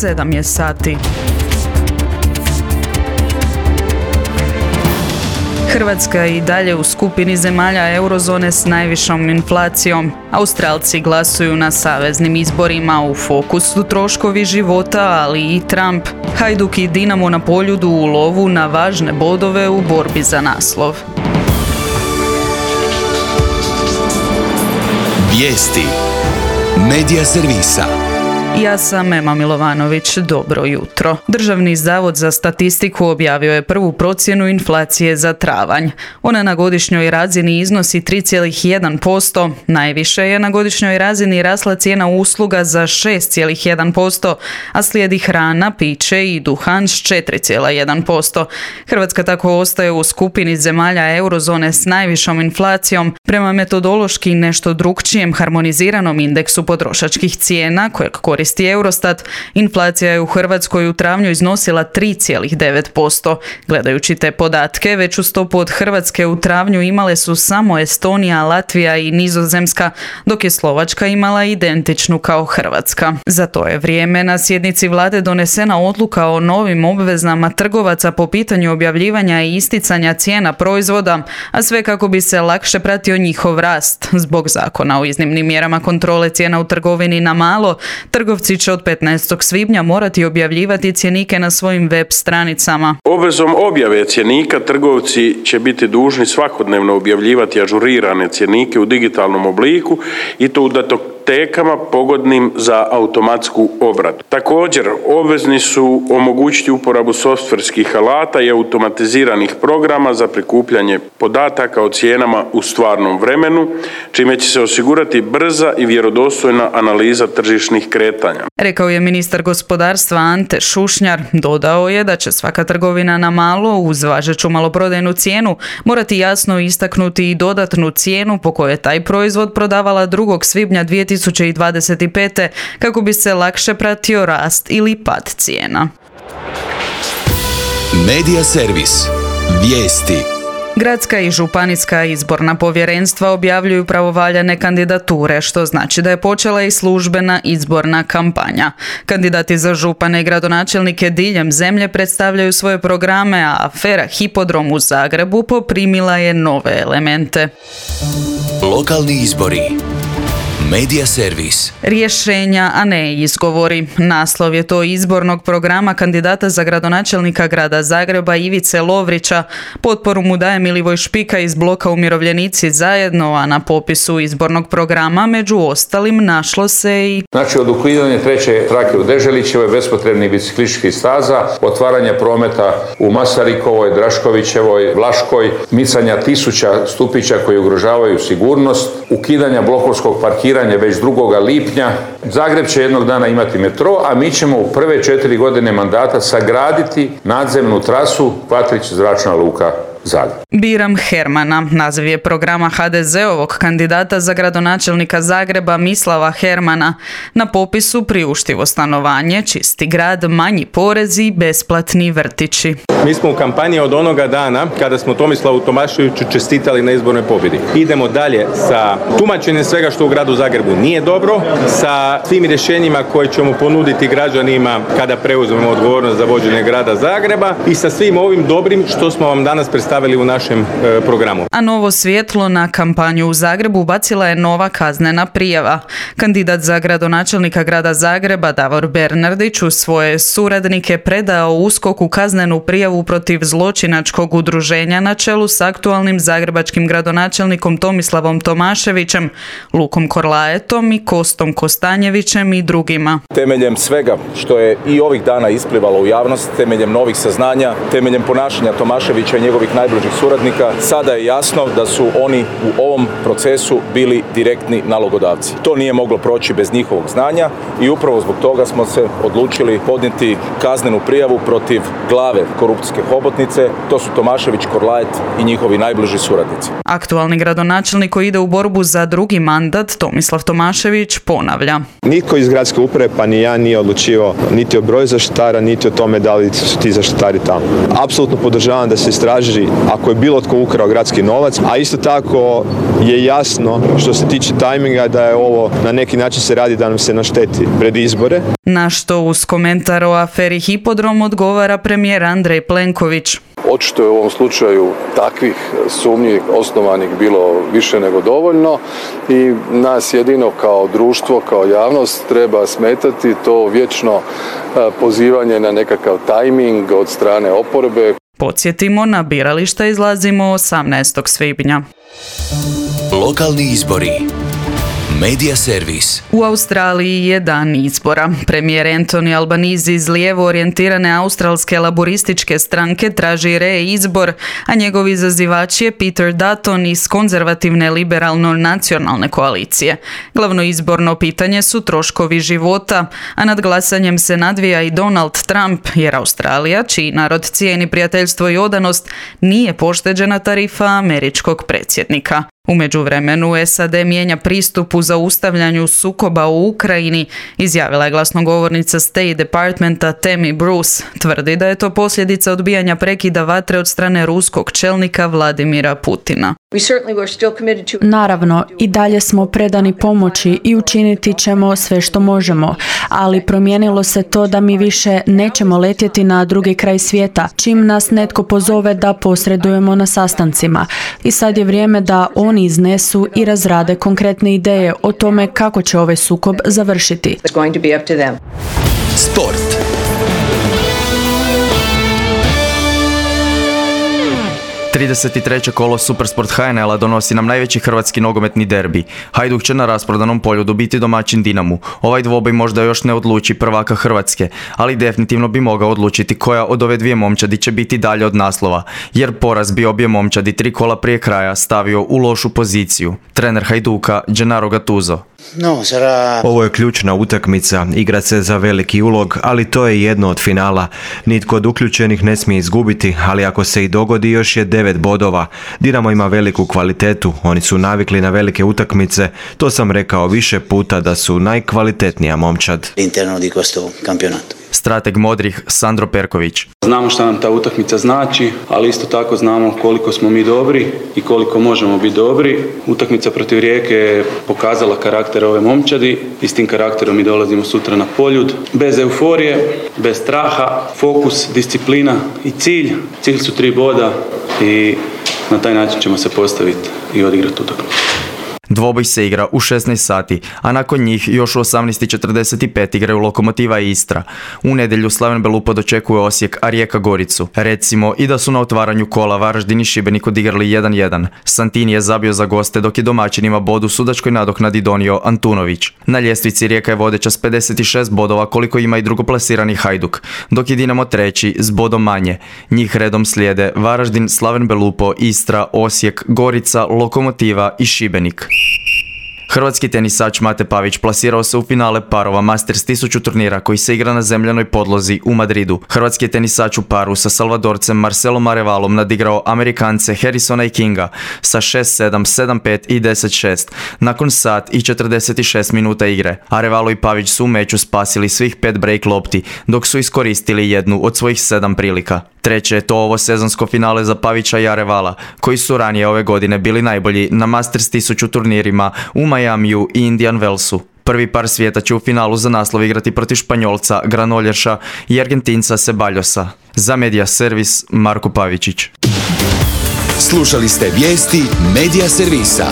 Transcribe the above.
7 je sati. Hrvatska je i dalje u skupini zemalja eurozone s najvišom inflacijom. Australci glasuju na saveznim izborima, u fokusu troškovi života, ali i Trump. Hajduk i Dinamo na Poljudu u lovu na važne bodove u borbi za naslov. Vijesti Medija servisa. Ja sam Ema Milovanović, dobro jutro. Državni zavod za statistiku objavio je prvu procjenu inflacije za travanj. Ona na godišnjoj razini iznosi 3,1%, najviše je na godišnjoj razini rasla cijena usluga za 6,1%, a slijedi hrana, piće i duhan s 4,1%. Hrvatska tako ostaje u skupini zemalja eurozone s najvišom inflacijom, prema metodološki nešto drukčijem harmoniziranom indeksu potrošačkih cijena kojeg koristi Eurostat. Inflacija je u Hrvatskoj u travnju iznosila 3,9%. Gledajući te podatke, veću stopu od Hrvatske u travnju imale su samo Estonija, Latvija i Nizozemska, dok je Slovačka imala identičnu kao Hrvatska. Za to je vrijeme na sjednici vlade donesena odluka o novim obvezama trgovaca po pitanju objavljivanja i isticanja cijena proizvoda, a sve kako bi se lakše pratio njihov rast. Zbog zakona o iznimnim mjerama kontrole cijena u trgovini na malo, trgovci će od 15. svibnja morati objavljivati cjenike na svojim web stranicama. Obvezom objave cjenika trgovci će biti dužni svakodnevno objavljivati ažurirane cjenike u digitalnom obliku i to u datotekama pogodnim za automatsku obradu. Također, obvezni su omogućiti uporabu softverskih alata i automatiziranih programa za prikupljanje podataka o cijenama u stvarnom vremenu, čime će se osigurati brza i vjerodostojna analiza tržišnih kretanja. Rekao je ministar gospodarstva Ante Šušnjar. Dodao je da će svaka trgovina na malo uz važeću maloprodajnu cijenu morati jasno istaknuti i dodatnu cijenu po kojoj je taj proizvod prodavala 2. svibnja 2025. kako bi se lakše pratio rast ili pad cijena. Medija servis. Vijesti. Gradska i županijska izborna povjerenstva objavljuju pravovaljane kandidature, što znači da je počela i službena izborna kampanja. Kandidati za župane i gradonačelnike diljem zemlje predstavljaju svoje programe, a afera Hipodrom u Zagrebu poprimila je nove elemente. Lokalni izbori. Medija servis. Rješenja, a ne izgovori. Naslov je to izbornog programa kandidata za gradonačelnika grada Zagreba Ivice Lovrića. Potporu mu daje Milivoj Špika iz bloka Umirovljenici zajedno, a na popisu izbornog programa među ostalim našlo se i... Znači od ukidanja 3. trake u Deželićevoj, bespotrebnih biciklističkih staza, otvaranja prometa u Masarikovoj, Draškovićevoj, Vlaškoj, micanja 1000 stupića koji ugrožavaju sigurnost, ukidanja blokovskog parkiranja već 2. lipnja. Zagreb će jednog dana imati metro, a mi ćemo u prve 4 godine mandata sagraditi nadzemnu trasu Kvatrić zračna luka Zagreb. Biram Hermana, naziv je programa HDZ-ovog kandidata za gradonačelnika Zagreba Mislava Hermana. Na popisu priuštivo stanovanje, čisti grad, manji porezi i besplatni vrtići. Mi smo u kampanji od onoga dana kada smo Tomislavu Tomaševiću čestitali na izbornoj pobjedi. Idemo dalje sa tumačenjem svega što u gradu Zagrebu nije dobro, sa svim rješenjima koje ćemo ponuditi građanima kada preuzmemo odgovornost za vođenje grada Zagreba i sa svim ovim dobrim što smo vam danas predstavili u našem programu. A novo svjetlo na kampanju u Zagrebu bacila je nova kaznena prijava. Kandidat za gradonačelnika grada Zagreba Davor Bernardić u svoje suradnike predao USKOK-u kaznenu prijavu protiv zločinačkog udruženja na čelu s aktualnim zagrebačkim gradonačelnikom Tomislavom Tomaševićem, Lukom Korlaetom i Kostom Kostanjevićem i drugima. Temeljem svega što je i ovih dana isplivalo u javnost, temeljem novih saznanja, temeljem ponašanja Tomaševića i njegovih najbližih suradnika, sada je jasno da su oni u ovom procesu bili direktni nalogodavci. To nije moglo proći bez njihovog znanja i upravo zbog toga smo se odlučili podnijeti kaznenu prijavu protiv glave korupcijske hobotnice, to su Tomašević, Korlaet i njihovi najbliži suradnici. Aktualni gradonačelnik koji ide u borbu za 2. mandat, Tomislav Tomašević, ponavlja. Nitko iz gradske uprave, pa ni ja, nije odlučivao niti o broju zaštitara, niti o tome da li su ti zaštitari tamo. Apsolutno podržavam da se istraži ako je bilo tko ukrao gradski novac, a isto tako je jasno što se tiče tajminga da je ovo na neki način se radi da nam se našteti pred izbore. Na što uz komentar o aferi Hipodrom odgovara premijer Andrej Plenković. Očito je u ovom slučaju takvih sumnji osnovanih bilo više nego dovoljno i nas jedino kao društvo, kao javnost treba smetati to vječno pozivanje na nekakav tajming od strane oporbe. Podsjetimo, na birališta izlazimo 18. svibnja. Lokalni izbori. Medija servis. U Australiji je dan izbora. Premijer Anthony Albanese iz lijevo orijentirane australske laborističke stranke traži reizbor, a njegov izazivač je Peter Dutton iz konzervativne liberalno-nacionalne koalicije. Glavno izborno pitanje su troškovi života, a nad glasanjem se nadvija i Donald Trump, jer Australija, čiji narod cijeni prijateljstvo i odanost, nije pošteđena tarifa američkog predsjednika. U međuvremenu SAD mijenja pristup u zaustavljanju sukoba u Ukrajini, izjavila je glasnogovornica State Departmenta Tammy Bruce. Tvrdi da je to posljedica odbijanja prekida vatre od strane ruskog čelnika Vladimira Putina. Naravno, i dalje smo predani pomoći i učiniti ćemo sve što možemo, ali promijenilo se to da mi više nećemo letjeti na drugi kraj svijeta, čim nas netko pozove da posredujemo na sastancima. I sad je vrijeme da oni iznesu i razrade konkretne ideje o tome kako će ovaj sukob završiti. Sport. Kolo Supersport HNL-a donosi nam najveći hrvatski nogometni derbi. Hajduk će na rasprodanom polju dobiti domaćin Dinamu. Ovaj dvoboj možda još ne odluči prvaka Hrvatske, ali definitivno bi mogao odlučiti koja od ove dvije momčadi će biti dalje od naslova, jer poraz bi obje momčadi 3 kola prije kraja stavio u lošu poziciju. Trener Hajduka, Gennaro Gattuso. Ovo je ključna utakmica, igra se za veliki ulog, ali to je jedno od finala. Nitko od uključenih ne smije izgubiti, ali ako se i dogodi još je 9 bodova. Dinamo ima veliku kvalitetu, oni su navikli na velike utakmice, to sam rekao više puta da su najkvalitetnija momčad. Strateg modrih Sandro Perković. Znamo šta nam ta utakmica znači, ali isto tako znamo koliko smo mi dobri i koliko možemo biti dobri. Utakmica protiv Rijeke je pokazala karakter ove momčadi i s tim karakterom mi dolazimo sutra na Poljud. Bez euforije, bez straha, fokus, disciplina i cilj. Cilj su 3 boda i na taj način ćemo se postaviti i odigrati utakmicu. Dvoboj se igra u 16 sati, a nakon njih još u 18:45 igraju Lokomotiva i Istra. U nedjelju Slaven Belupo dočekuje Osijek, a Rijeka Goricu. Recimo i da su na otvaranju kola Varaždin i Šibenik odigrali 1-1. Santini je zabio za goste, dok je domaćinima bod u sudačkoj nadoknadi donio Antunović. Na ljestvici Rijeka je vodeća s 56 bodova, koliko ima i drugoplasirani Hajduk, dok je Dinamo treći s bodom manje. Njih redom slijede Varaždin, Slaven Belupo, Istra, Osijek, Gorica, Lokomotiva i Šibenik. Hrvatski tenisač Mate Pavić plasirao se u finale parova Masters 1000 turnira koji se igra na zemljanoj podlozi u Madridu. Hrvatski je tenisač u paru sa Salvadorcem Marcelom Arevalom nadigrao Amerikance Harrisona i Kinga sa 6-7, 7-5 i 10-6 nakon sat i 46 minuta igre. Arevalo i Pavić su u meču spasili svih 5 break lopti, dok su iskoristili jednu od svojih 7 prilika. Treće je to ovo sezonsko finale za Pavića i Arevala, koji su ranije ove godine bili najbolji na Masters 1000 turnirima u Majamiju i Indian Wellsu. Prvi par svijeta će u finalu za naslov igrati protiv Španjolca Granolješa i Argentinca Ceballosa. Za Medija servis Marko Pavičić. Slušali ste vijesti Medija servisa.